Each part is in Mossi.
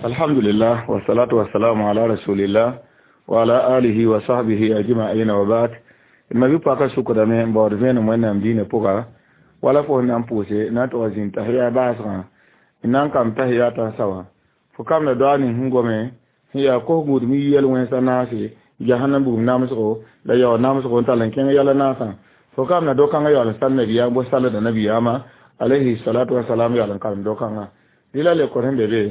Alhamdulillah, wasalatu wasalamu ala rasulillah wa ala alihi wa sahbihi ajma'in wa ba'd. Ma bi paka sukdame n baood vẽenem Wẽnnaam diinã pʋga wala fo sẽn na n pʋʋse na n tʋg zĩnd tahiya baasgã n na n kamb tahiya tãnsa wã fo kamda doa ning sẽn gome sẽn yaa kos-gũud mi yɛl wẽnsa naase jahannam bugum namsgo la yaood namsgo n tall n kẽng yɛla naasã fo kamda do-kãngã yaool n sal nabiyaam bo salda nabiyaamã alayhi salatu wasalam yaool n karem do-kãngã dɩ la lekor sẽn be be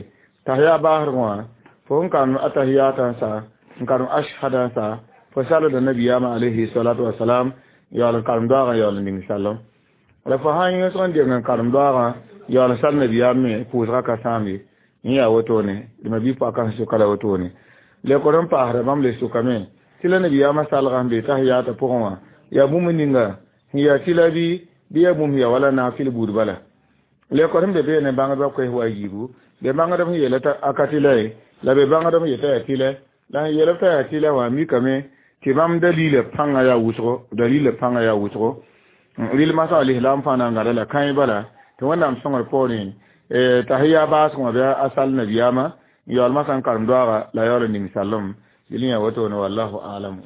tahiya baasg wã fo sẽn karem atahiya tãnsa n karem ashhada n sa fo salda nabiyaamã alayhi salatu wasalam yaool n karem doagã yaool n ning salem la fo sã n yõsg n deng n karem doagã yaool n sal nabiyaam me pʋʋsgã ka sãam ye n yaa wotone dɩ ma bi paka sẽn sʋka la wotone lekor n paasda bãmb le sʋkame tɩ la nabiyaamã salgã sẽn be tahiyaatã pʋgẽ wã yaa bũmb ninga sẽn yaa tɩla bɩ yaa bũmb yaa wala naafɩl buud bala lekor sẽn be beene bãngdbã koɛs wa a yiibu be bãngdb sẽn yeela t'a a ka tɩla ye la be bãngdb sẽn yeta yaa tɩlɛ la sẽn yeelb t'a yaa tɩlɛ wã mikame tɩ bãmb dalila pãngã yaa wʋsgo dalila pãngã yaa wʋsgo rɩl masã alislam fãa na n gãda la kãe bala tɩ Wẽnnaam sõngr poorẽ tahiya baasg wã bɩ a sal nabiyaamã n yaool masã n karem doaaga la yaool n ning sallem yel yã wotone wallahu alamu.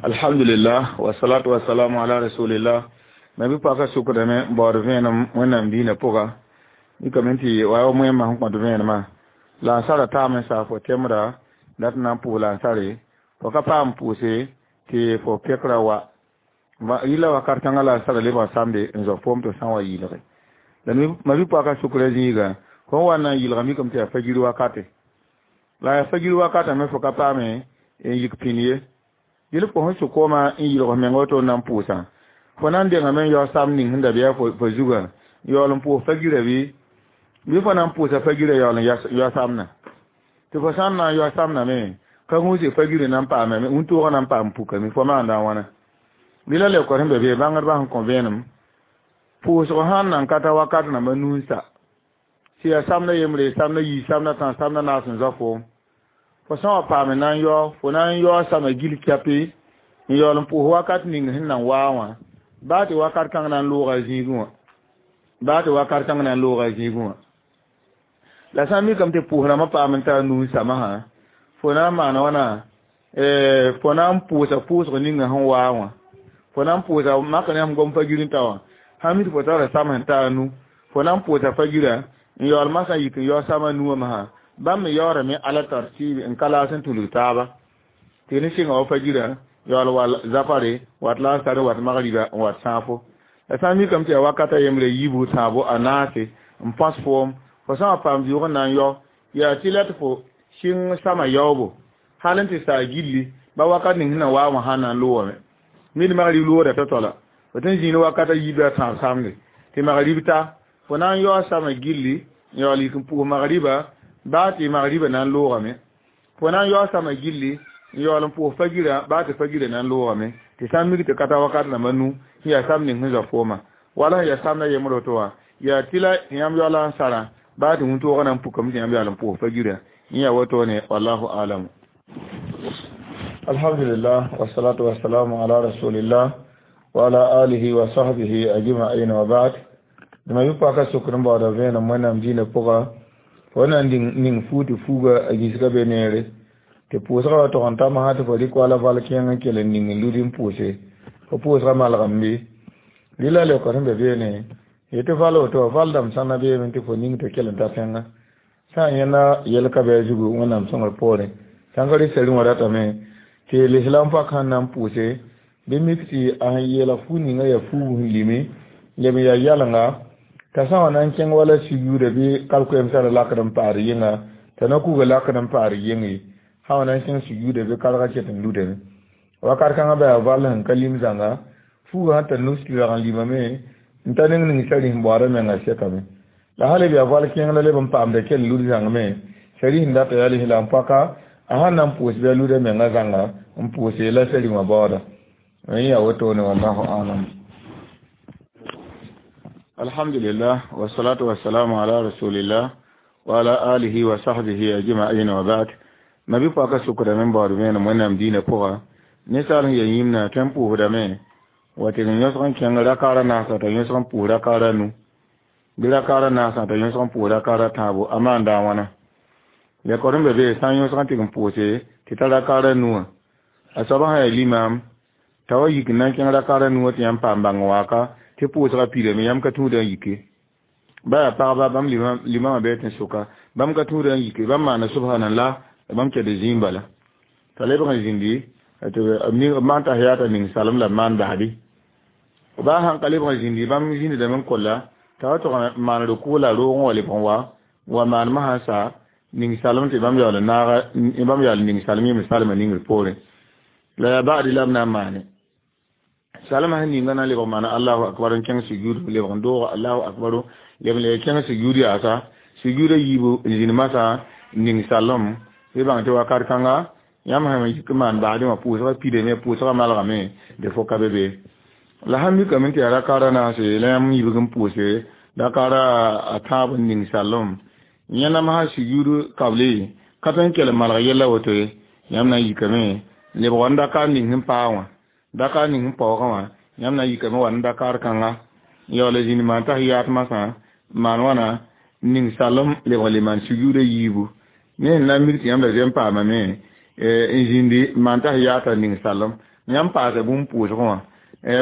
Alhamdulillah, wasalatu wasalamu ala rasulillah. Ma bi paka sukdame n baood vẽenem Wẽnnaam diinã pʋga mikame tɩ wa wa moẽmã sẽn kõt vẽenemã la n sara taam n saa fo temda la tɩ na n pʋʋs la n sare fo ka paam pʋʋse tɩ fo pekra wa rɩla wakat kãngã la n sara lebg samde n zao foom tɩ sã n wa yɩɩlge la ma bi paka sukra zĩiga fo n wa na n yɩlga mikame tɩ yaa fajir wakate la yaa fajir wakatã me fo ka paame n yik pĩnd ye yel fo sẽn sʋk koomã n yɩlg meng woto n na n pʋʋsã fo na n dengame n yao sam ning sẽn da bɩa fo zugã yaool n pʋʋs fajirã bɩ fo na n pʋʋsa fajirã yaool n yao samna tɩ fo sã n na n yao samna me ka gũuse fajirã na n paame wĩntoogã na n paam pukame fo maanda a wãna bɩ la lekor sẽn be be bãngdbã sẽn kõ vẽenem pʋʋsg sãn nan ka ta wakat namba nu n sa tɩ yaa samda yembre samda yii samda tã samda naas n zao foom fo sã n wa paame na n yao fo na n yao sama gil kɛpɩ n yaool n pʋʋs wakat ning sẽn nan waa wã baa tɩ wakat kãng na n looga zĩigẽ wã baa tɩ wakat kãng na n looga zĩigẽ wã la sã n mikame tɩ pʋʋs rãmbã paam n taa nuu n samsã fo na n maana wãna fo na n pʋʋsa pʋʋsg ninga sẽn waa wã fo na n pʋʋsa mak ne sẽn gom fajir n ta wã sã mi tɩ fo tara sam sẽn taa nu fo na n pʋʋsa fajirã n yaool masã yik n yao sama nuwã masã bãmb me yaoorame ala tartiib n ka laas n tulg taaba tɩ ne sɩnga wa fajirã yaool wa zafare wat lansar wat magriba n wat sãafo la sã n mikame tɩ yaa wakata yembre yiibu tãabo a naase n põs foom fo sã n wa paam vɩʋʋg n na n yao yaa tɩ la tɩ fo sɩng sama yaoobo hal n tɩ saa gilli ba wakat ning sẽn na waa wã sã n na n loogame mid magrib looda t'a toala fo tɩ n zĩnd wakata yiib la tãab samde tɩ magrib ta fo na n yao sama gilli n yaool yik n pʋʋs magriba baa tɩ magriba na n loogame fo na n yao sama gilli n yaool n pʋʋs fajirã baa tɩ fajirã na n loogame tɩ sã n mik tɩ ka ta wakat rãmba nu sẽn yaa sam ning sẽn zao foomã wala sẽn yaa samda yembr woto wã yaa tɩ la tɩ yãmb yaoola n sarã baa tɩ wĩntoogã na n pukame tɩ yãmb yaool n pʋʋs fajirã n yaa wotone wallahu alamu. Alhamdulillah, wasalatu wasalamu ala rasulillah wa ala alihi wa sahbihi ajma'in wa ba'd. Dɩ ma bɩ paka sokr n baooda vẽenem Wẽnnaam diinã pʋga fo na n ning fuug tɩ fuuga a gĩsga be neere tɩ pʋʋsgã wa tog n ta masã tɩ fo rɩk wala val kẽeng n kell n ning n lud n pʋʋse fo pʋʋsgã malgem bɩ rɩla leoka sẽn be beene yetɩ val woto wã val dãmb sãnna beeme tɩ fo ning tɩ kell n ta tẽngã sã n yẽnda yɛl ka bɩ a zugu Wẽnnaam sõngr poorẽ sãn ka rɩ sari wã ratame tɩ lislam pak sẽn na n pʋʋse bɩ mik tɩ a sẽn yeelg fuug ninga yaa fuugu sẽn lime leb n yaa yɛlenga t'a sã n wa na n kẽng wala siguuda bɩ kalkoɛmsã ra lakd n paad yɩnga t'a na kuga lakd n paad yɩnge sã wa na n kẽng siguuda bɩ karga ket n ludame wakat kãngã ba yaa val sẽn ka lim zãnga fuuga sẽn tar nus-tɩrg n limame n ta ning ning sari sẽn baoodã menga sekame la hal b yaa val kẽeng la leb n paamda kell lud zãng me sari sẽn data yaa lislam paka a sãn na n pʋʋs bɩ a luda menga zãnga n pʋʋse la sari wã baooda n yaa wotone wallahu alam. Alhamdulillah, wasalatu wasalamu ala rasulillah wa ala alihi wa sahbihi ajma'in wa ba'd. Ma bi paka sukdame n baood vẽenem Wẽnnaam diinã pʋga ninsaal sẽn ya yĩmna tõe n pʋʋsdame wa tɩ n yõsg n kẽng rakaara naasã t'a yõsg n pʋʋs rakaara nu bɩ rakaara naasã t'a yõsg n pʋʋs rakaara tãabo a maanda a wãna. Le kɔr be be sã n yõsg n tɩg n pʋʋse tɩ ta rakaara nuwã a soaba sã yaa limam t'a wa yik n na n kẽng rakaara nuwã tɩ yãmb paam bãng waaka tɩ pʋʋsgã piidame yãmb ka tũuda n yike ba yaa pagba bãmb limamã bɩ tɩ soka bãmb ka tũuda n yike bãmb maana subhanallah la bãmb kɛd zĩig bala t'a lebg n zĩndi tɩ b maan tahiyata ning salem la b maan baadi baa sãn ka lebg n zĩndi bãmb zĩndame n kolla t'a wa tʋg n maan rʋkʋ la roog n wa lebg n wa maanmã sã sa ning salem tɩ bãmb yaool naaga bãmb yaool ning salem yẽmd salmã ningr poorẽ la yaa baadi la b na n maane salmã sẽn ninga na n lebg maana allahu akbar n kẽng sujud lebg n dooga allahu akbaru leb n le kẽng sujud yaasa sujuda yiibu n zĩnd masã ning salem bɩ bãng tɩ wakat kãnga yãmb sẽn yik n maan baadẽ wã pʋʋsgã pidame pʋʋsgã malgame dɩ fo ka be be la sãn mikame tɩ yaa rakaara naase la yãmb yibg n pʋʋse rakaara a tãab n ning salem yẽnam sã sujud kable ka tõe n kell n malg yella woto ye yãmb na n yikame lebg wa n dakar ning sẽn paa wã dakar ning sẽn paoogã wã yãmb na n yikame wa n dakar kãnga n yaool zĩnd maan tahiyaat masã maan wãna ning salem lebg le maan sujuda yiibu ne sẽn na n mik tɩ yãmb la zoe n paamame n zĩndi maan tahiyaata ning salem yãmb paasa bũmb pʋʋsgẽ wã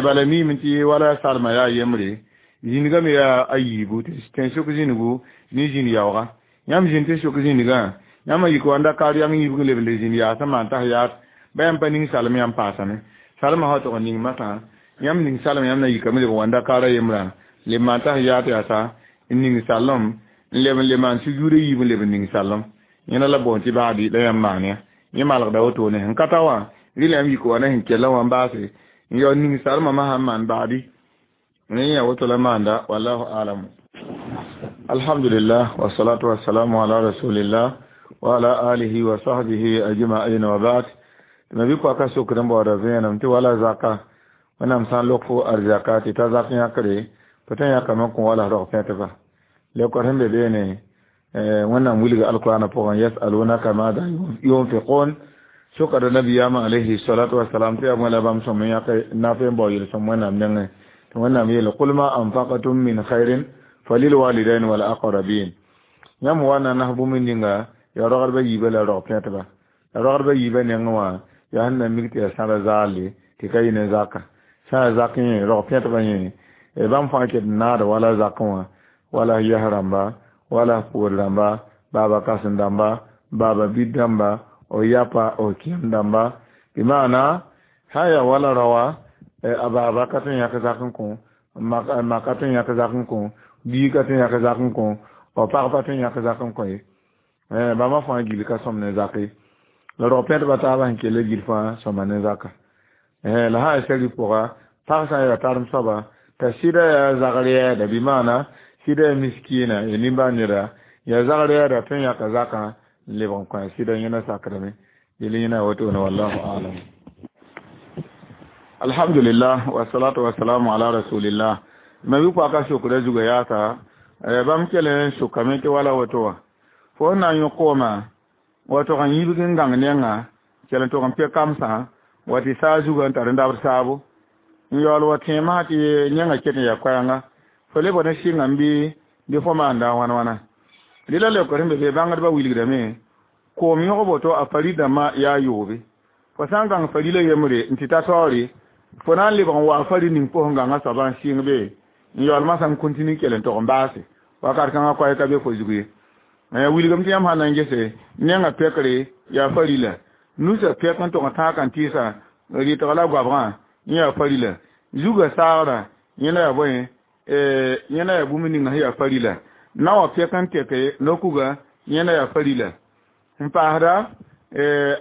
bala miime tɩ wala salmã yaa yembre zĩnigã me yaa a yiibu tɩ tẽn-sʋk zĩnigu ne zĩn yaooga yãmb zĩnd tɩ sʋk zĩnigã yãmb yik wa n dakar yãng yibg n leb n le zĩnd yaasã maan tahiyaat ba yãmb pa ning salem yãmb paasame salmã sã tʋg n ning masã yãmb ning salem yãmb na yikame leb n wa n dakara yembrã leb maan tahiyaat yaasa n ning salem n leb n le maan sujuuda yiib n leb n ning salem yẽna la boond tɩ baadi la yãmb maan ya yẽ malgda wotone sẽn ka ta wã rɩla yãmb yik wa na sẽn kella wã n baase n yaool ning salmã masã n maan baadi ne yã woto la maanda wallahu alamu alhamdulillah wassalatu wassalamu ala rasulillah wa ala alihi wa sahbihi ajma'in wa ba'd tɩ ma bɩ ka sokd n baooda vẽenem tɩ wala zaka wẽnnaam sã n lok fo arzaka tɩ ta zak yãkre fo tõe n yãkame n kõ wala rog pẽtba leokor sẽn be beene wẽnnaam wilga alqurana pʋgẽ yasalunaka mada yunfiqun sokada nabiyama alayhi salatu wassalam tɩ yaa bõe la bãmb sõm n yãk naf n bao yel-sõm wẽnnaam nengẽ tɩ wẽnnaam yeele qul ma anfaqtum min khairin falilwalidain wal aqrabin yãmb wa na nas bũmb ninga yaa rogdbã yiibã la rog pẽtba la rogdbã yiibã nengẽ wã yaa sẽn na mik tɩ yaa sãra zaalle tɩ ka yɩ ne zaka sã yaa zak yẽ rog pẽtbã yẽ bãmb fãa ket n naada wala zakẽ wã wala yɛs rãmba wala poor rãmba baaba kãsem dãmba baaba bid dãmba o yapa o kẽem dãmba bɩ maana sã n yaa wala raoa a baaba ka tõe n yãk zak n kõ ma ka tõe n yãk zak n kõ bii ka tõe n yãk zak n kõ o pag pa tõe n yãk zak n kõ ye bãmba fãa gil ka sõm ne zak ye la rog pẽtbã taabã sẽn kell gil fãa sõma ne zaka la sã n sɛri pʋga pag sã n yaa tarem soaba t'a sɩda yaa zagr yɛɛda bɩ maana sɩda yaa miskiina ya nimbãan neda yaa zagr yɛɛda tõe n yãka zakã n lebg n kõ a sɩda yẽna sakdame yel yẽna wotone wallahu alam alhamdulillah wassalatu wassalamu ala rasulillah ma bɩ paka sokda zuga yaasa bãmb kell n sokame tɩ wala woto wã fo n na n yõ kooma wa tog n yibg n gãng nenga kell n tog n pɛ kamsã wa tɩ saa zuga n tar n dabd saabo n yaool wa tẽemsã tɩ yẽnga ket n yaa koɛɛnga fo lebg ne sɩngame bɩ fo maanda wãn wãna rɩla leokr sẽn be be bãngdbã wilgdame koom yõg boto a fari dãmbã yaa yoobe fo sã n gãng farila yembre n tɩ ta taoore fo na n lebg n wa fari ning pʋsẽ gãngã soaba n sɩng be n yaool masã n kõntinu kell n tog n baase wakat kãngã koɛɛ ka be fo zug ye wilgame tɩ yãmb sã na n gese nenga pɛkre yaa farila nusa pɛk n tog n tãag n tɩɩsa rɩtg la goabgã yẽ yaa farila zuga saagrã yẽna yaa bõe yẽna yaa bũmb ninga sẽn yaa farila na wã pɛk n tɛke nokuga yẽna yaa farila n paasda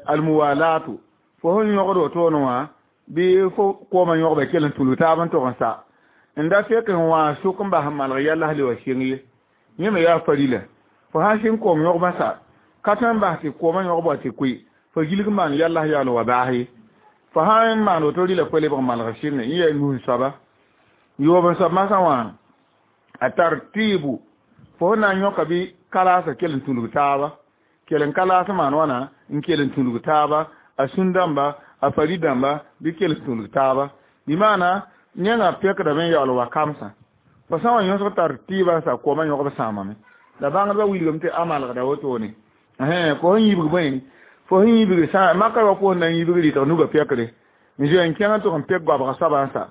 almuwalatu fo sẽn yõgd wotone wã bɩ fo koomã yõgba kell n tulu taab n tog n sa n da fɛk n wã sʋk n bas n malg yallas le wa sɩng ye yẽ me yaa farila fo sã n sɩng koom yõgbã sa ka tõe n bas tɩ koomã yõgb wa tɩ koe fo gilg n maan yallas yaool wa baas ye fo sã n maan woto rɩla koe lebg n malg sɩnge yẽ yaa nus soaba yoob n soab masã wã a tar tɩɩbu fo sẽn na n yõka bɩ kalaasã kell n tũlg taaba kell n kalaas maan wãna n kell n tũlg taaba a sũn dãmba a fari dãmba bɩ kell n tũlg taaba bɩ maana nengã pɛkdame n yaool wa kamsã fo sã n wa yõsg tar tɩɩbã sa koomã yõgb sãamame la bãngdbã wilgame tɩ a malgda wotone Fo sẽn yibg bõe fo sẽn yibg sã makã wa koos na n yibg rɩtg nuga pɛkre n zoe n kẽng n tʋg n pek goabga soabã n sa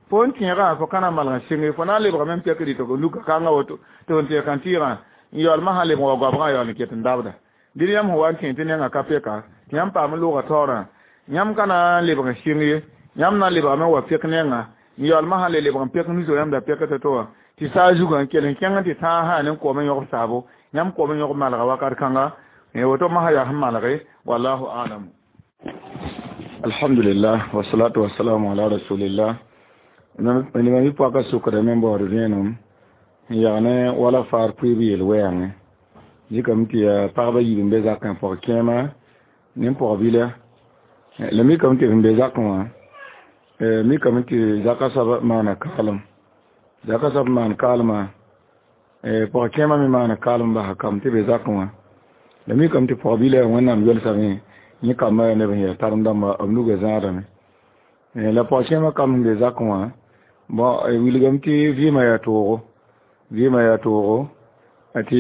fo n tẽegã fo ka na n malg n sɩnge fo na n lebgame n pɛk rɩtg nuga kãngã woto tɩ f n tẽeg kãn-tɩɩgã n yaool masã lebg wa goabgã yaool n ket n dabda dɩd yãmb sẽn wa n tẽ tɩ nengã ka pɛka tɩ yãmb paam n loogã taoorã yãmb ka na n lebg n sɩng ye yãmb na n lebgame n wa pɛk nengã n yaool masã le lebg n pɛk nusg yãmb da pɛk to-to wã tɩ saa zugã n kell n kẽng n tɩ tãag sã ne koom n yõgb saabo yãmb koom n yõgb malga wakat kãnga woto masã yaa sẽn malge wallahu alam. Alhamdulillah wasalatu wasalamu ala rasulillah. Nima mi pɔka sʋkdame n baood vẽenem n yag ne wala faar pʋɩɩb yel-wɛɛngẽ zikame tɩ yaa pagba yiib n be zakẽ pɔg-kẽema ne pɔg-bila la mikame tɩ sẽn be zakẽ wã mikame tɩ zaka soab maana kaalem zaka soab maan kaalmã pɔg-kẽema me maana kaalem basa kam tɩ be zakẽ wã la mikame tɩ pɔg-bila wẽnnaam yelsame yẽ kambã yaa neb sẽn yaa tarem-dãmba b nugã zãadame la pɔg-kẽema kam sẽn be zakẽ wã bon wilgame tɩ vɩɩmã yaa toogo vɩɩmã yaa toogo tɩ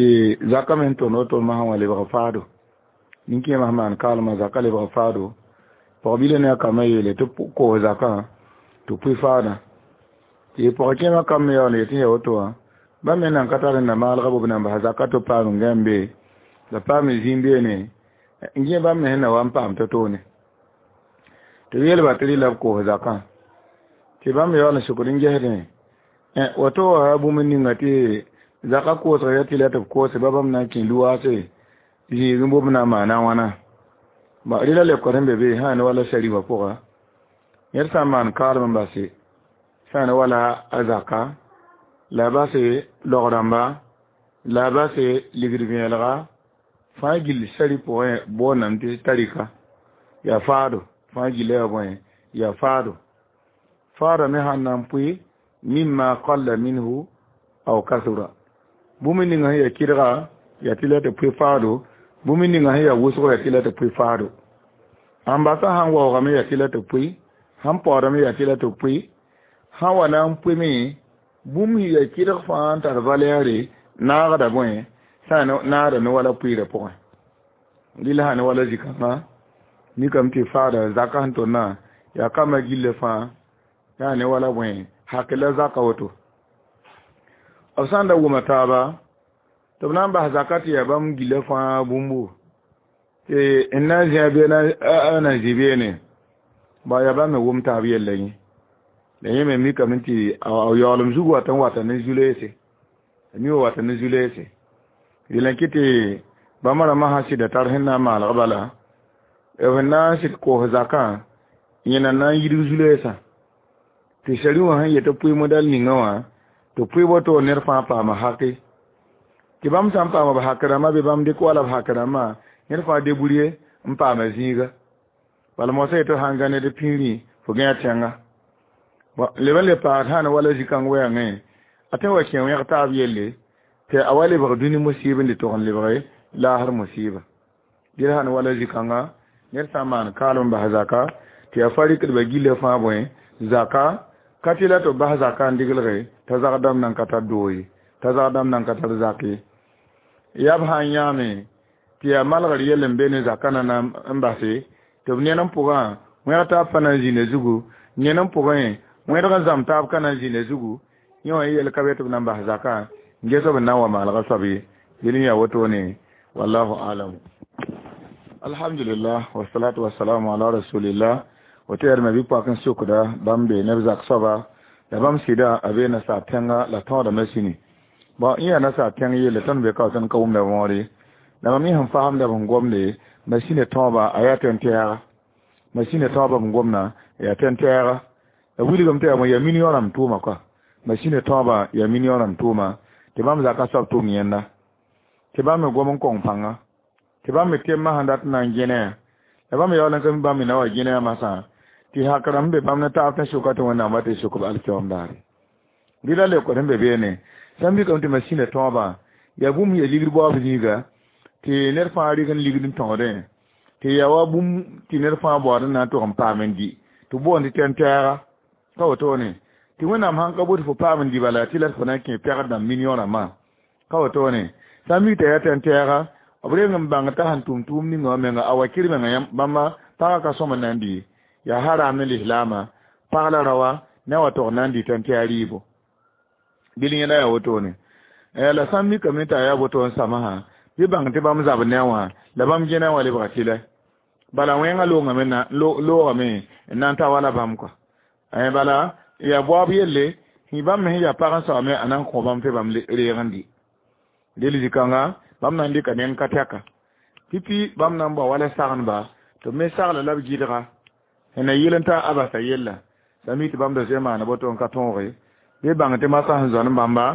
zakã me sẽn tõnd woto masã wã lebg faado nin-kẽemã sẽn maan kaalmã zakã lebg faado pɔg-bila ne a kambã yeele tɩ koos zakã tɩ pʋɩ faadã tɩ pɔg-kẽemã kam me yaool n yetɩ yaa woto wã bãmb me nan ka tar n na maalga b nan bas zakã tɩ paam n gãe be la paam zĩig beene n gẽ bãmb me sẽn na wa n paam to-toone tɩ b yeelba tɩ rɩ la b koos zakã tɩ bãmb yaool n sʋkd n gesdẽ woto wa bũmb ninga tɩ zaka koosg ya tɩ la tɩ b koose ba bãmb na n kẽ luwaase zĩig n bobm na n maana wãna rɩ la lebka sẽn be be sã ne wala sarifa pʋga yẽd sã n maan kaalem n base sã ne wala a zaka la base log-rãmba la base ligd vẽelga fãa gill sari pʋgẽ boondame tɩ tarika yaa faado fãa gilla yaa bõe yaa faado faada me sãn na n pʋɩ mimma qalla minhu aw kasura bũmb ninga sẽn yaa kɩdga yaa tɩ la tɩ pʋɩ faado bũmb ninga sẽn yaa wʋsgo yaa tɩ la tɩ pʋɩ faado sãn basa sãn waoogame yaa tɩ la tɩ pʋɩ sãn paoodame yaa tɩ la tɩ pʋɩ sãn wa na n pʋɩme bũmb sẽn yaa kɩdg fãa n tar valɛɛre naagda bõe sã naagda ne wala pʋɩɩrã pʋgẽ rɩla sã ne wala zĩ-kãngã mikame tɩ faada zakã sẽn tʋmdã yaa kambã gillã fãa yaa ne wala bõe hak la zaka woto b sã n da wʋma taaba tɩ b na n bas zaka tɩ yaa bãmb gilla fãa bũmbu tɩ n na n zĩa bɩ na n zĩ beene ba yaa bãmb me wʋm taab yella yẽ la yẽ me mikame tɩ a yaoolem zug wat n wata ne zu-leese a mi wa wata ne zu-leese rɩla kɩ tɩ bãmb rãmbã sã sɩda tar sẽn na n maalg bala b sẽn na n sɩd koos zakã yẽna na n yidg zu-leesã tɩ sari wã sẽn yet tɩ pʋɩ modɛl ninga wã tɩ pʋɩ woto ned fãa paama hake tɩ bãmb sã n paama b hak rãmbã bɩ bãmb dɩk wala b hak rãmbã ned fãa debrouiller n paama zĩiga bala moasã yetɩ sãn gã ned pĩirẽ fo gã tẽnga leb n le paad sã ne wala zĩ-kãng wɛɛngẽ a tõe wa kẽ wẽg taab yelle tɩ a wa lebg dũni musiib n le tog n lebge laasr musiiba dɩl sã ne wala zĩ-kãnga ned sã n maan kaalem n bas zaka tɩ yaa fa rɩkdbã gillã fãa bõe zaka ka tɩ la tɩ b bas zaka n diglge t'a zag dãmb nan ka tar doo ye t'a zag dãmb nan ka tar zak ye yaa b sã n yãame tɩ yaa malgr yell n be ne zakã na n base tɩ b ned n pʋgã wẽg taab pa na n zĩnda zugu ned n pʋgẽ wẽdg n zãmb taab ka na n zĩnda zugu yẽ wã yel ka be tɩ b na n bas zakã n ges b n na n wa maalgã soab ye yel n yaa wotone wallahu alam. Alhamdulillah wasalatu wasalamu ala rasulillah. Woto yaa bɩ poak n sokda bãmb be neb zak soaba la bãmb sɩda a be nasaar tẽnga la tõodame sĩni bon yẽ yaa nasaar tẽng yelle tõnd be ka tõnd ka wʋmda võore la mam yẽ sẽn faamda b sẽn gomde masĩnã tõoba a yaa tẽn-tɛɛga masĩnã tõoba b sẽn gomna yaa tẽn-tɛɛga la wilgame tɩ yaa yaa million rãmb tʋʋma kɔa masĩnã tõoba yaa million rãmb tʋʋma tɩ bãmb zaka soab tʋʋm yẽnda tɩ bãmb me gom n kõng pãnga tɩ bãmb me temã sẽn dat n na n gẽne la bãmb yaool n ka mi bãmb me na wa gẽne masã tɩ hak rãmb be bãmb ne taab tɩ sʋka tɩ wẽnnaam wa tɩ sʋk b alkiyoom daare rɩ la leokd sẽn be beene sã n mikame tɩ masĩnã tõobã yaa bũmb yaa ligd baoob zĩiga tɩ ned fãa rɩg n ligd n tõodẽ tɩ yaa wa bũmb tɩ ned fãa baood n na n tog n paam n dɩ tɩ boond tɩ tẽn-tɛɛga ka wotone tɩ wẽnnaam sãn ka bot fo paam n dɩ bala tɩ la fo na n kẽ pɛgd dãmb million rãmbã ka wotone sã n mik t'a yaa tẽn-tɛɛga B reng n bãng t'a sẽn tʋm tʋʋm ninga wã menga a wa kir menga yãmb bãmba pagã ka sõm n na n dɩ yaa haram ne lislaamã pag la raoã ne a wa tog n na n dɩta tɩ yaa rɩɩbo bil yẽda yaa wotone la sã n mikame t'a yaa woto n samsã bɩ bãng tɩ bãmb zab ne wã la bãmb gẽna wã lebga tɩlɛ bala wẽngã loogame loogame n na n ta wala bãmb kɔa bala yaa baoab yelle tɩ bãmb me sẽn yaa pag n saoome a na n kõ bãmb tɩ bãmb reeg n dɩ del zĩ-kãnga bãmb na n dɩka neng ka tɛka pipi bãmb na n bao wala sagendba tɩ b me sagla la b gɩdga sẽn na yɩl n ta a basa yella la mi tɩ bãmb da zoe maana boto n ka tõoge bɩ bãng tɩ masã sẽn zoa ne bãmba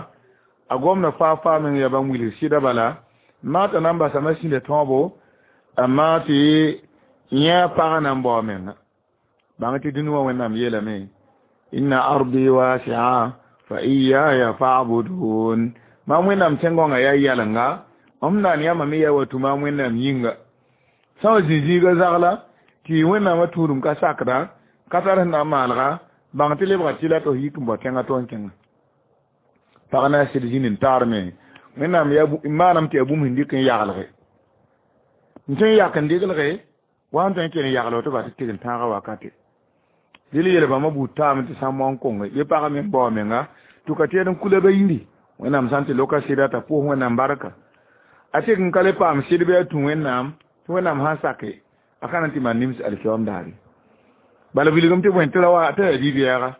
a gomda faa faa meng yaa bãmb wilg sɩda bala maata na n basame sĩnda tõobo a maa tɩ yẽ a pagã na n bao a menga bãng tɩ dũni wã wẽnnaam yeelame inna ardi wasia fa iyaya fa'budun mam wẽnnaam tẽn-gõngã yaa yɛlenga m naan yãmba me yaa wa tũ maam wẽnnaam yĩnga sã wa zĩ-zĩiga zagla tɩ wẽnnaamã tũudum ka sakda ka tar sẽn na n maalga bãng tɩ lebga tɩla tɩ f yik n bao tẽngã tɩ n kẽnga pag na n sɩd zĩnd n taarme wẽnnaam yaa maanam tɩ yaa bũmb sẽn dɩk n yaglge n tõe n yak n deglge wa sẽn tõe n kell n yagl tɩ ba tɩ tɩg n tãagã wakate dɩl yel bãmba buud taame tɩ sã n moan konge ye pagã me n bao menga tɩ ka tẽed n kula ba yiri wẽnnaam sã n tɩ loka sɩda t'a pʋʋs wẽnnaam barka a tɩk n ka le paam sɩd bɩ a tũ wẽnnaam tɩ wẽnnaam sã n sake a ka na n tɩ maan nims alkiyoom daare bala wilgem tɩ bõe tɩ ra wa t'a yaa bi-bɛɛga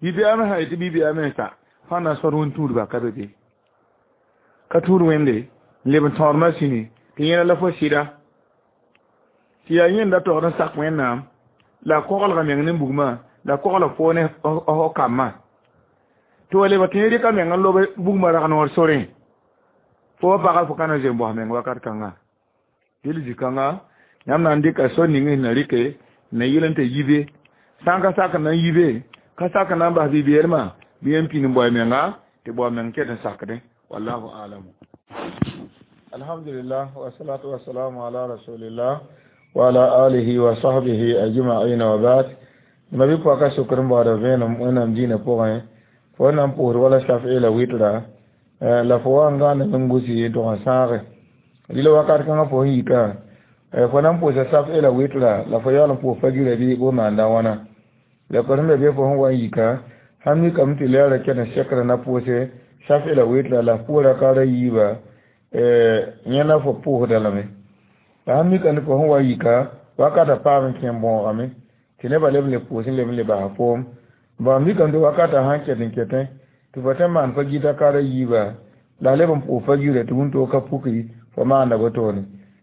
bi-bɛɛg me sã yetɩ bi-bɛɛg mensa fãa na n sõd wẽn-tũudbã ka be be ka tũud wẽnde n leb n tõod masini tɩ yẽna la fo sɩda tɩ yaa yẽnda togd n sak wẽnnaam la koglga meng ne bugmã la kogla fo ne fo kambã tɩ wa lebg tɩ yẽ rɩka meng n lob bugmã rag noor sorẽ fo wa pagã fo ka na n zoe n bos meng wakat kãnga dɩl zĩ-kãnga yãmb na n dɩka so ning sẽn na rɩke na yɩl n tɩ yibe sã n ka sak n na n yibe ka sak n na n bas bi-beelmã bɩ yẽn pĩnd n bao menga tɩ bao meng ket n sakdẽ wallahu alamu alhamdulillah wasalatu wasalamu ala rasulillah wa ala alihi wa sahbihi ajma'in wa ba'd ma bi pɔka sokr n baooda vẽenem wẽnnaam dĩinã pʋgẽ fo na n pʋʋsd wala safɩ la wɩtra la fo wa n gãaneme n gusi n tʋg n sãage rɩla wakat kãngã fo sẽn yika fo na n pʋʋsa safɩ la wɩtra la fo yaool n pʋʋs fagira bɩ bo maanda wãna la kor sẽn be be fo sẽn wa n yika sãn mikame tɩ lɛɛrã ket n sekra na pʋʋse safɩ la wɩtra la f pʋʋs rakaara yiiba yẽ la fo pʋʋsda lame la sãn mika tɩ fo sẽn wa yika wakata paam n kẽ n bõogame tɩ nebã leb n le pʋʋs n leb n le basa foom ba mikame tɩ wakata sãn ket n ketẽ tɩ fo tõe n maan fa gita kara yiiba la leb n pʋʋs fa gira tɩ wũntoo ka puki fo maanda wotone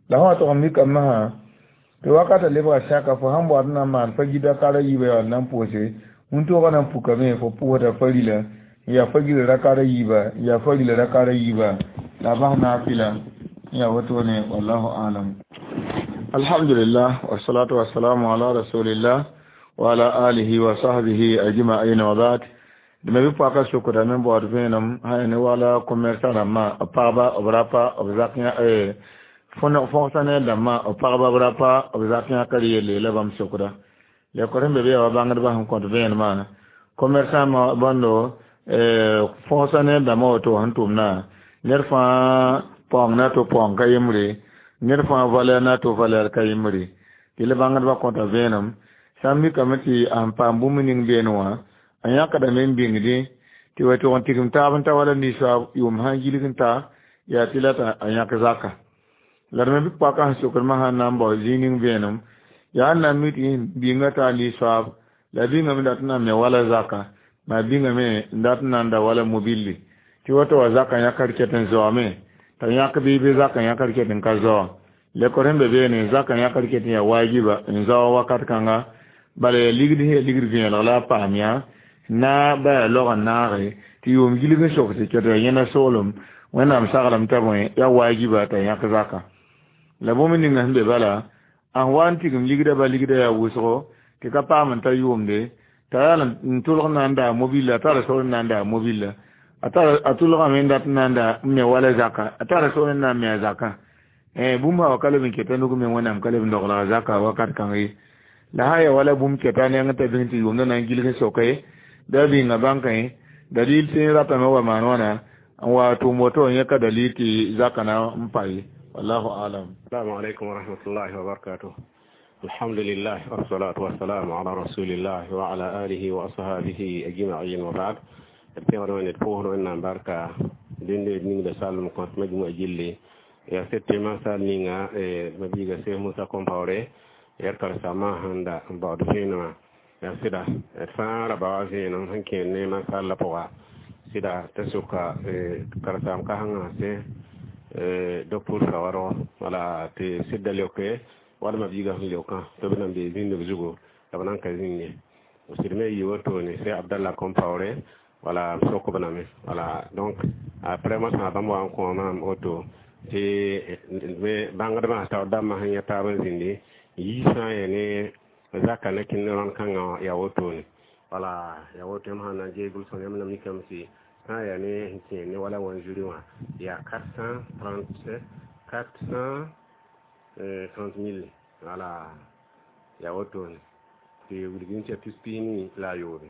la sã wa tog n mikame masã tɩ wakata lebga sãka fo sãn boad n na n maan fa gita kara yiiba yaa n na n pʋʋse wũntoogã na n pukame fo pʋʋsda farila n yaa fa gira rakara yiiba n yaa farila rakara yiiba la bas naafila n yaa wotone wallahu alam alhamdulillah wasalatu wasalamu ala rasulillah wa ala alihi wa sahbihi ajma'in wa ba'd dẽme bɩ pɔaka sokdame n baood vẽenem sã ne wala commerçant rãmbã b pagba b rapa b zak fonctionnaire dãmbã b pagba b rapa b zak yãkr yelle la bãmb sokda lekor sẽn be be yaa wa bãngdbã sẽn kõt vẽenemã commerçant bõndo fonctionnaire dãmbã woto sẽn tʋmdã ned fãa paoong na to paoong ka yembre ned fãa valeur na to valeur ka yembre tɩ la bãngdbã kõta vẽenem sã n mikame tɩ a sẽn paam bũmb ning beene wã a yãkdame n bĩngdẽ tɩ wa tʋg n tigim taab n ta wala nisoab yʋʋm sã n gilg n ta yaa tɩ la t'a yãk zaka la d me bɩ paka sẽn sokdmã sãn na n bao zĩig ning vẽenem yaa n na n mi tɩ bĩnga taa nisoab la bĩngame dat n na n me wala zaka maa bĩngame n dat n na n da wala mobilli tɩ woto wa zaka yãkr ket n zaoome t'a yãk bɩ bɩ zaka yãkr ket n ka zao lekor sẽn be beene zaka yãkr ket n yaa waajiba n zao wakat kãnga bala yaa ligd sẽn yaa ligd vẽelg la a paam yã na ba yaa log n naage tɩ yʋʋm gilg n sok tɩ ket yaa yẽna soolem wẽnnaam saglem t'a bõe yaa waajiba t'a yãk zaka la bũmb ninga sẽn be bala a sẽn wa n tigim ligda ba ligda yaa wʋsgo tɩ ka paam n ta yʋʋmde t'a yaa n tʋlg n na n daa mobilla a tara sor n na n daa mobilla a tʋlgame n dat n na n daa n me wala zaka a tara sor n na n me a zakã bũmb sã wa ka leb n keta nug me wẽnnaam ka leb n dogla a zaka wakat kãng ye la sã yaa wala bũmb keta neng t'a bĩng tɩ yʋʋmdã na n gilg n soke bɩ a bĩnga bãnkẽ dalil tɩ ratame wa maan wãna n wa tʋʋm woto n yẽka dalil tɩ zaka na n pa ye. Wallahu alam. Assalamu alaikum wa rahmatullahi wa barakatuh. Alhamdulillah wassalatu wassalamu ala rasulillah wa ala alihi wa ashabihi ajma'in wa ba'd. D pẽgd wẽnde d pʋʋsd Wẽnnaam barka dẽnde d ningda salem kõt majmua gilli ya sete masal ninga mabiiga Seh Musa Compaoré yaa karen-saambã sẽn da n baood vẽenemã yaa sɩda d fãa ra baoa vẽenem sẽn kẽer ne mansalla pʋga sɩda t'a sʋka karen-saam kãsengã sẽ docteur Sawargo wala tɩ sɩd da leoke wala mabiigã sẽn leokã tɩ b nan bee zĩnd b zugu la b nan ka zĩnd ye sɩd me yi wotone c'est Abdallah Compaoré wala m sok b name wala. Donc après ma sã bãmb wa n kõ maam woto tɩ bãngdbã taoor dãmbã sẽn yã taab n zĩndi yiisã ya ne zaka ne kẽnd rãnd kãngã yaa wotone wala yaa woto. Yãmb sã na n geeg gʋlsg yãmb na mikame tɩ sã n yaa ne sẽn kẽer ne wala wanzuri wã yaa 430 430 mille wala yaa wotone tɩ wilg tɩ yaa tus pis nii la a yoobe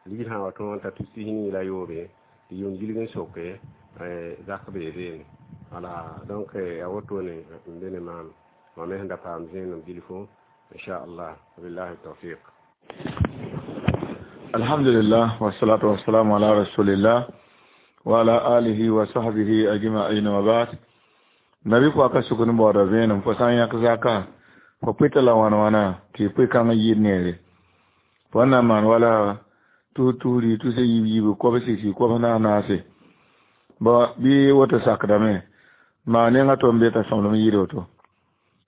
ligd sã wa tõog n ta tus pis nii la a yoobe tɩ yʋʋm gilg n soke zak bee beene wala. Donc yaa wotone n be ne maam mam me sẽn da paam zẽenem bilfu inchallah. Wabillahi tawfiq. Alhamdulillah wassalatu wassalamu ala rasulillah wa ala alihi wa sahbihi ajma'in wa ba'd. Nabi ko aka sukuni bɔɔda vẽenem fo sã n yãk zaka fo pɩta la wãna wãna tɩ pʋɩ kãng yɩɩd neere fo na maan wala tus tusri tus yiib yiibu kobs sɩ kobs naas naase bõ bɩ woto sakdame maa nenga tɩ m be t'a sõmblem yɩɩd woto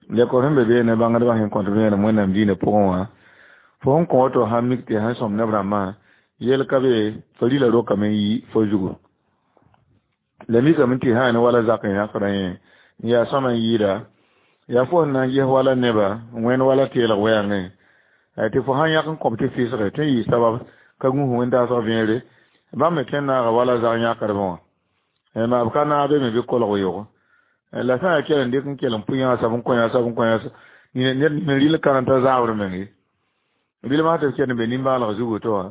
lekor sẽn be beene bãngdbã sẽn kõt vẽenem Wẽnnaam diinã pʋgẽ wã fo sẽn kõ woto sãn mik tɩ sẽn sõm neb rãmbã yel ka be fo rɩla rokame n yi fo zugu la mikame tɩ sã ne wala zak n yãkdã yẽ n yaa sõma n yɩɩda yaa fo sẽn na n ges wala neba wẽnd wala teelg wɛɛngẽ tɩ fo sãn yãk n kõb tɩ fɩsge tɩ n yɩ sabab ka gũus wẽn-daasg vẽere bãmb me tõe n naaga wala zag yãkdbã wã maa b ka naag be me bɩ kolg yogo la sã n yaa kell n dɩk n kell n pʋ yãasa n kõ yãasa n kõ yãasa ned rɩl kãreng t'a zaabr meng ye rɩlmã tɩ b kell n be nimbãalg zugu tɩ wã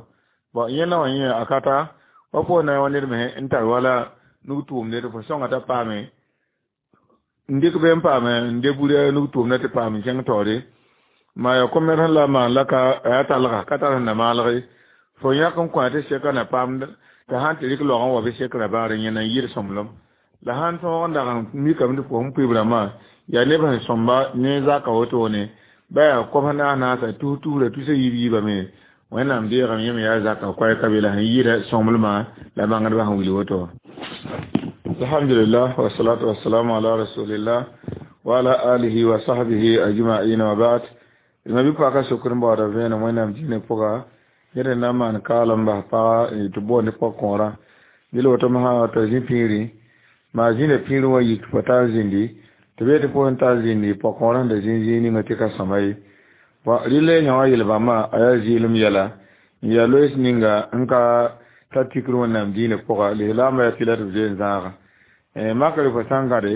bɔn yẽnda wã yẽ a ka ta wa fo na wa ned me n tar wala nug tʋʋmde tɩ fo sõnga t'a paame n dɩk be n paame n de bura nug tʋʋmda tɩ paam n kẽng taoore maa yaa commerce la maan la ka yaa talga ka tar sẽn na maalge fo yãk n kõ tɩ seka na paam t'a sãn tɩ rɩk laogã wa bɩ sekra baare yẽna n yɩr sõmblem la sãn tõog n dag n mikame tɩ fo sẽn pʋɩb rãmbã yaa neb sẽn sõmba ne zaka wotone ba yaa kobs naas naasa tus tusra tusa yiib yiibame Wẽnnaam deegame yẽ me yaa zaka koɛɛ ka be la sẽn yɩɩda sõmblmã la bãngdbã sẽn wilg woto. Alhamdulillah wassalatu wassalamu ala rasulillah wa ala alihi wa sahbihi ajma'in wa ba'd. Ma bi paka sukr baoda vẽenem Wẽnnaam dĩinã pʋga yẽd n na n maan kaalem bas paga tɩ boond pɔg-kõorã dɩl woto masã t'a zĩ pĩiri maa zĩnda pĩirẽ wã yik fo taa zĩndi tɩ bee tɩ fo sẽn taa zĩndi pɔg-kõorã sẽn da zĩ zĩig ninga tɩ ka sõma ye bɔn rɩla yã wã yel-bãmbã a yaa zɩɩlem yɛla n yaa loees ninga n ka ta tikr Wẽnnaam dĩinã pʋga lislaambã yaa tɩ la tɩ b zoe n zãaga makre fo sã n gãde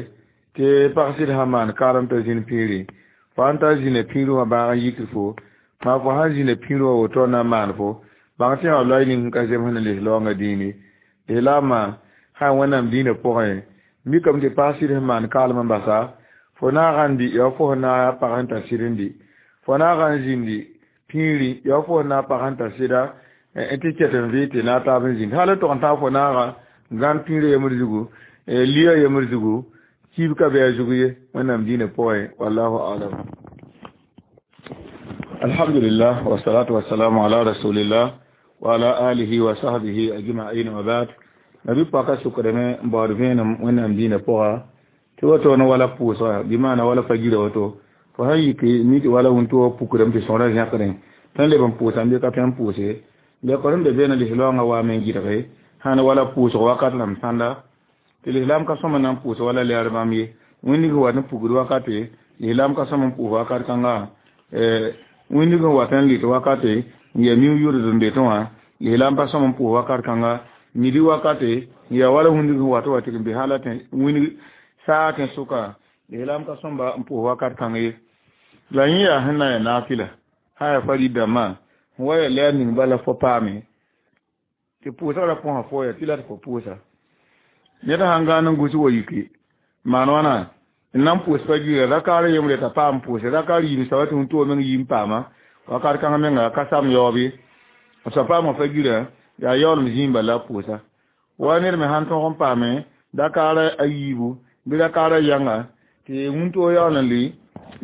tɩ pag sɩd sã maan kaalem t'a zĩnd pĩiri fo sãn tar zĩnda pĩirẽ wã bãag n yikr fo maa fo sãn zĩnda pĩirẽ wã woto na n maan fo bãng tɩ yã loay ning n ka zems ne lislaoongã dĩine lislaambã sã Wẽnnaam dĩinã pʋgẽ mikame tɩ pag sɩd sẽn maan kaalem n basa fo naagã n dɩ yaa fo sẽn na pag sẽn tar sɩd n dɩ fo naagã n zĩndi pĩiri yaa fo sẽn na pag sẽn tar sɩda n tɩ ket n vɩ tɩ na taab n zĩnd hal n tog n tãag fo naaga gãnd pĩirã yembr zugu lia yembr zugu kiib ka be a zugu ye Wẽnnaam dĩinã pʋgẽ wallahu alam. Alhamdulillah wassalatu wassalamu ala rasulillah wa ala alihi wa sahbihi ajma'in wa ba'd. Nabi paka sukrame n baood vẽenem Wẽnnaam dĩinã pʋga tɩ woto ne wala pʋʋsga bɩ maana wala fa gira woto fo sãn yik mi tɩ wala wũnto pukrame tɩ sõora zẽkdẽ tɩ n leb n pʋʋsa n bɩ ka tõe n pʋʋse lekor sẽn be beene lislaoongã waame n gɩdge sãn wala pʋʋsg wakat la m sãnda tɩ lislaam ka sõma na n pʋʋs wala lɛɛr bãmb ye wĩndig sẽn wat n pukd wakate lislaam ka sõm n pʋʋs wakat kãnga wĩndig sẽn wat n lɩt wakate n yaa miu yʋrd n betẽ wã lislaam pa sõm n pʋʋs wakat kãnga midi wakate n yaa wala wĩndig sẽn wat wa tɩ n be hala wĩnd saa tẽ sʋka lislaam ka sõmba n pʋʋs wakat kãng ye la yẽ yaa sẽn na n yaa naafɩla sã yaa farid dãmbã sẽn wa yaa lɛɛr ning bala fo paame tɩ pʋʋsgrã põsa fo ya tɩ la tɩ fo pʋʋsa ned sãn gãan n gus wa yiki maan wãna N na n pʋʋs pa gira rakaar yembre t'a paam pʋʋse rakaar yiib soaba tɩ wĩntoog meng yii n paama wakat kãngã menga ka sam yaoob ye b soab paamã fa gira yaa yaoolem zĩig bala la pʋʋsa wa ned me sãn tõg n paame dakaar a yiibu bɩ rakaar a yãnga tɩ wĩntoog yaool n lʋɩ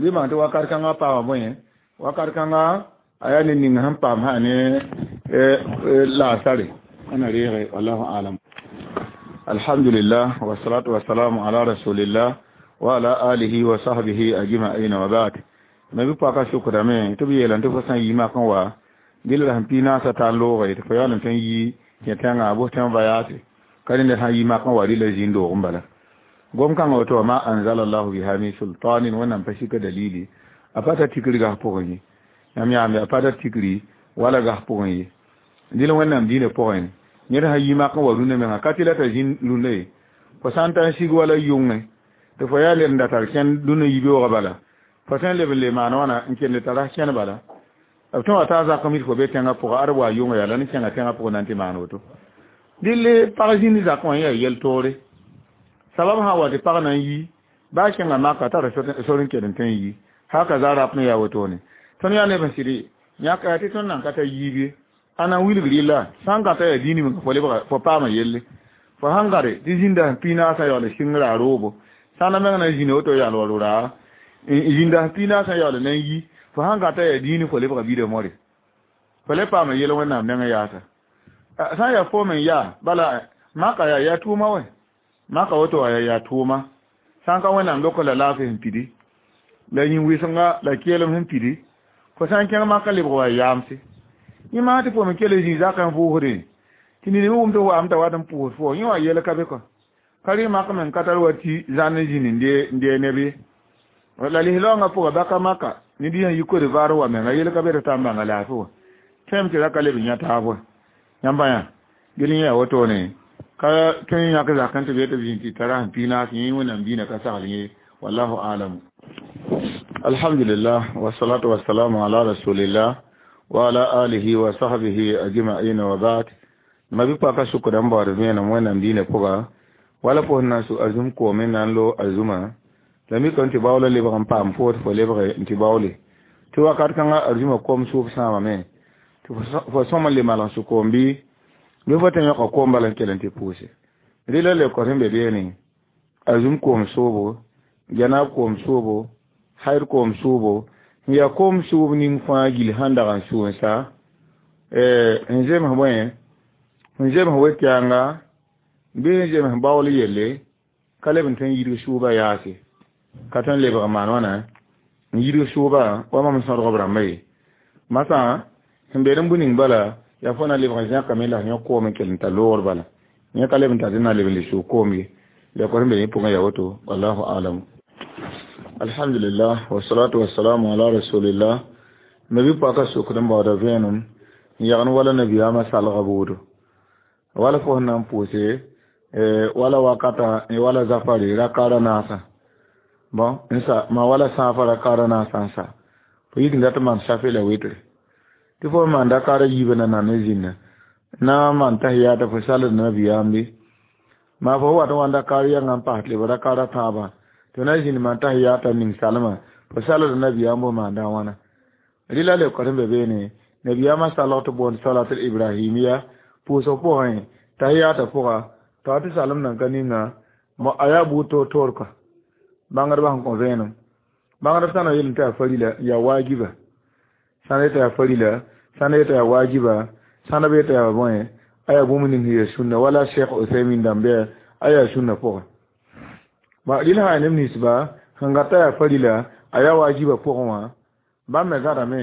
bɩ maan tɩ wakat kãngã paama bõe wakat kãngã a yaa ned ning sẽn paam sã ne laasare ãna reege wallahu alam. Alhamdulillah wasalatu wasalamu ala rasulillah wa ala alihi wa sahbihi ajma'in wa ba'd. Nabi paka shukrame tɩ b yeelame tɩ fo sã n yi mak n wa gil la sẽn pii naasã tar loogre tɩ fo yaool n tõe n yi kẽ tẽngã bos tẽng vayaase ka rẽnd sã n yi mak n wa rɩla zĩnd-doog n bala gom kãngã woto wa ma anzalallahu biha min sultanin wẽnnaam pa sika dalili a pa ta tikri gas pʋgẽ ye yãmb yaambe a pa ta tikri wala gas pʋgẽ ye dɩl wẽnnaam dĩinã pʋgẽ ned sã yi mak n wa rũndã menga ka tɩ la t'a zĩnd rũndã ye fo sã n ta n sig wala yʋngẽ tɩ fo yaa led n da tar kẽnd dũnã yibeoogã bala fo sẽn leb n le maan wãna n kende tara kẽn bala b tõe wa taa zakame tɩ fo be tẽngã pʋgã ad wa yʋnga yaa la ne kẽnga tẽngã pʋgẽ na n tɩ maan woto dɩl pag zĩnd zakẽ wã yaa yel-toore sabab sã wa tɩ pag na n yi baa kẽnga maka tara sor n ked n tõe n yi haka za rap me yaa wotone tõnd yaa neb n sɩd yãka yaa tɩ tõnd nan ka ta yiib ye a na n wilg rɩlla sã n gãta yaa dĩini menga fo lebga fo paama yelle fo sãn gade tɩ zĩnda sẽn pii naasã yaool sɩngra roobo sã na meng na n zĩna woto yaal wa ro-raa zĩnda sẽn pii naasã yaool na n yi fo sãn gãta yaa dĩini fo lebga bida more fo le paama yel wẽnnaam nengẽ yaasa sã n yaa foom n yaa bala maka yaa yaa tʋʋma wɛ maka woto wa yaa tʋʋma sã n ka wẽnnaam lok la laafɩ sẽn pidi la yĩn-wɩsenga la keelem sẽn pidi fo sã n kẽng maka lebg wa yaamse yẽ maa tɩ fo me kell zĩ zakã n vʋʋsdẽ tɩ ned me wʋm tɩ waam t'a wat n pʋʋs fo yẽ wa yɛl ka be kɔ ka rɩ mak me n ka tar wa tɩ zãn n zĩnd n dee neb ye la lislaoongã pʋga baka maka ned sẽn yi Côte d'Ivoire wa menga yel ka be tɩ tãn bãnga laafɩ wa tõeme tɩ ra ka leb n yã taab wa yãmba yã gel yẽ yaa wotone ka tõe n yãk zakẽ tɩ be tɩ b zĩnd tɩ tara sẽn pii naas yẽ wẽnnaam diinã ka sagl yẽ wallahu alam. Alhamdulillah wasalatu wasalamu ala rasulillah wa ala alihi wa sahbihi ajma'in wa ba'd. Mabi paka sukda n baood vẽenem wẽnnaam diinã pʋga wala fo sẽn na n su arzũm koome na n lo arzũmã la mikame tɩ baoola lebg n paam fo tɩ fo lebge n tɩ baoole tɩ wakat kãngã arzũmã kom sʋʋb sãamame tɩ fo sõm n le malg sʋ koom bɩ bɩ fo tɩ yõka koom bala n kell n tɩ pʋʋse rɩla le kos n be beene arzũm koom soobo janaab koom soobo hayd koom soobo n yaa koom sʋʋb ning fãa gil sãn dag n sʋ n sa n zems bõe n zems we-kɛɛnga bɩ n zems baool yelle ka leb n tõe n yidg sʋʋba yaase ka tõe n lebg n maan wãna n yidg sʋʋba wa mam sõdg b rãmba ye masã sẽn be n bũ ning bala yaa fo na lebg n zẽkame la yõ koom n kell n ta loogr bala yẽ ka leb n tar tɩ na leb n le sʋʋg koom ye la kos n be yẽ pʋgẽ yaa woto wallahu alam. Alhamdulillah wasalatu wasalamu ala rasulillah. Nabi paka sokd n baooda vẽenem n yagn wala nabiyaamã salga boodo wala fo sẽn na n pʋʋse wala wakata wala zafare rakaara naasã bon n sa ma wala sãafa rakaara naasã n sa fo yik n dat n maan safe la wetre tɩ fo maan rakaara yiibã na nan n zĩnda na n maan tahiyata fo sald nabiyaam be maa fo wat n wa rakaar yãngã n paas leb rakaara tãabã tɩ na zĩnd maan tahiyata ning salmã fo salda nabiyaam bo maanda wãna rɩla le kot n be beene nabiyaamã salg tɩ boond salatul ibrahimiya pʋʋsg pʋgẽ tahiyata pʋga t'a tɩ salem nan ka ninga a yaa buud toor-toor kɔ bãngdbã sẽn kõ vẽenem bãngdb sã na yel tɩ yaa farila yaa waajiba sã n yetɩ yaa farila sã n yetɩ yaa waajiba sã n b yetɩ yaa bõe a yaa bũmb ning sẽn yaa sũnna wala Cheikh Uthaymin dãmb bɩ a yaa sũnna pʋgẽ rɩl sã yaa neb ninsba sẽn gata yaa farila a yaa waajiba pʋgẽ wã bãmb me zãdame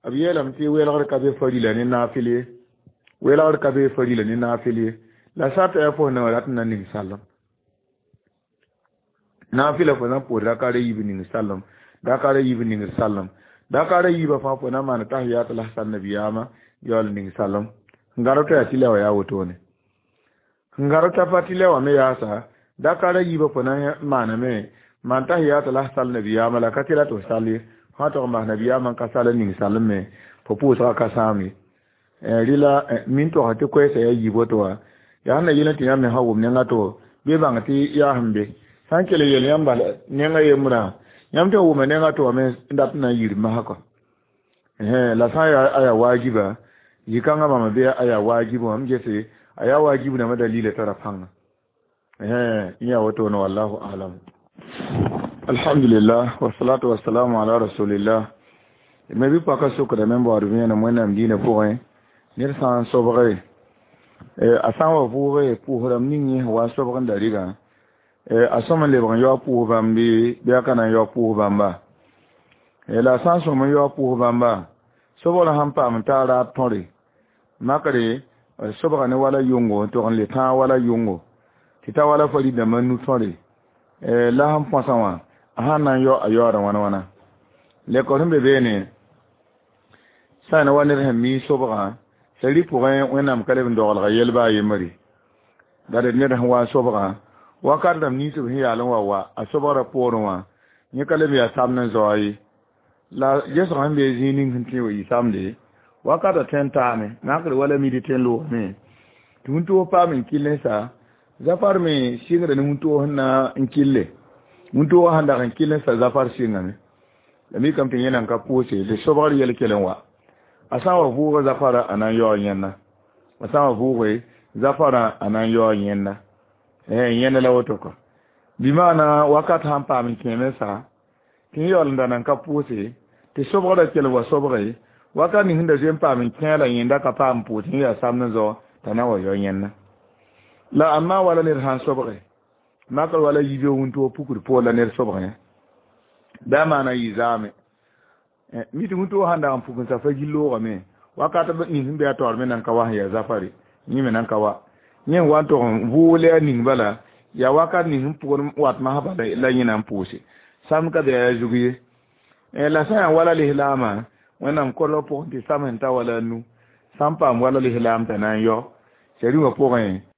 b yeelame tɩ welgr ka be farila ne naafɩl ye welgr ka be farila ne naafɩl ye la sarta yaa fo sẽn rat n na ning salem naafɩla fo na n pʋʋs rakaara yiib ning salem rakaara yiib ning salem rakaara yiibã fãa fo na n maan tahiyat la sal nabiyaamã yaool ning salem n gãrb t'a yaa tɩ la wã yaa wotone n gãrb t'a pa tɩ la wã me yaasa rakaara yiibã fo na n maaname maan tahiyat la sal nabiyaamã la ka tɩ ra tɩ f sal ye fãa tog n bas nabiyaamã n ka sal n ning salem me fo pʋʋsgã ka sãam ye rɩla min togsã tɩ koɛɛsã yaa yiib woto wã yaa sẽn na yel tɩ yãmb me sã wʋm nengã to bɩ bãng tɩ yaa sẽn be Sã n kell n yel yãmb bala nengã yembrã, yãmb tõe n wʋma nengã tɩ wa me n dat n na n yir masã kɔ. La sã n yaa a yaa waajiba, zĩ-kãngã bãmba bɩ a yaa waajib wã, m gese a yaa waajib rãmbã dalila tara pãnga. Yã wotone, wallahu alam. Alhamdulillah, wasalatu wasalamu ala rasulillah. Me bɩ paka sokdame n baood vẽenem Wẽnnaam dĩinã pʋgẽ, ned sã n sobge, a sã n wa vʋʋge pʋʋs rãmb ning yẽ sẽn wa n sobg n da rɩgã, a sõm n lebg n yaoog pʋʋs bãmb bɩ a ka na n yaoog pʋʋs bãmba? La a sã n sõm n yaoog pʋʋs bãmba, sobgrã sãn paam n taa raad tõre, makre sobga ne wala yʋngo n tog n le tãag wala yʋngo tɩ ta wala farid dãmbã nu tõre, la sẽn põsã wã, a sãn na n yao, a yaooda wãna wãna. Lɛkɔ sẽn be beene, sã n wa ned sẽn mi sobgã sari pʋgẽ, Wẽnnaam ka leb n dogelga yɛl baa yembre la d ned sẽn wa n sobgã wakat rãmb nins b sẽn yaal n wa wa a sobgrã poorẽ wã, yẽ ka leb yaa samd n zaoa ye. La gesg sẽn be zĩig ning sẽn tõe wa yɩ samde, wakata tõe n taame makr wala midi tõe n loogame tɩ wũntog paam n kell n sa zafar me sɩngda ne wũntog sẽn na n kille, wũntogã sẽn dag n kell n sa zafar sɩngame. La mikame tɩ yẽ nan ka pʋʋse tɩ sobgr yɛl kell n wa. A sã n wa vʋʋga zafara, a na n yaoog yẽnna. A sã n wa vʋʋge zafara, a na n yaoog yẽnna, yẽnda la woto kɔ. Bɩ maana wakat sãn paam n kẽeme sa tɩ n yaool n da nan ka pʋʋse tɩ sobgrã kell wa sobge, wakat ning sẽn da zoe n paam n kẽe la yẽnda ka paam n pʋʋs n yaa samd n zao t'a na wa yao yẽnna. La amma wala ned sã n sobge makr wala yibe wũntog pukd poor la ned sobgẽ bɩ a maana yɩ zaame mi tɩ wũntog sãn dag n puk n sa fa gill loogame, wakat ning sẽn be a taoor me nan ka wa sẽn yaa zafare, yẽ me nan ka wa yẽ n wa n tog n vʋʋg le a ning bala yaa wakat ning sẽn pʋgd wat masã bala la yẽ na n pʋʋse samd ka be yaa zug ye. La sã n yaa wala lislaamã, Wẽnnaam kolg pʋgẽ tɩ sam sẽn ta wala a nu sã n paam wala lislaam t'a na n yao sari wã pʋgẽ.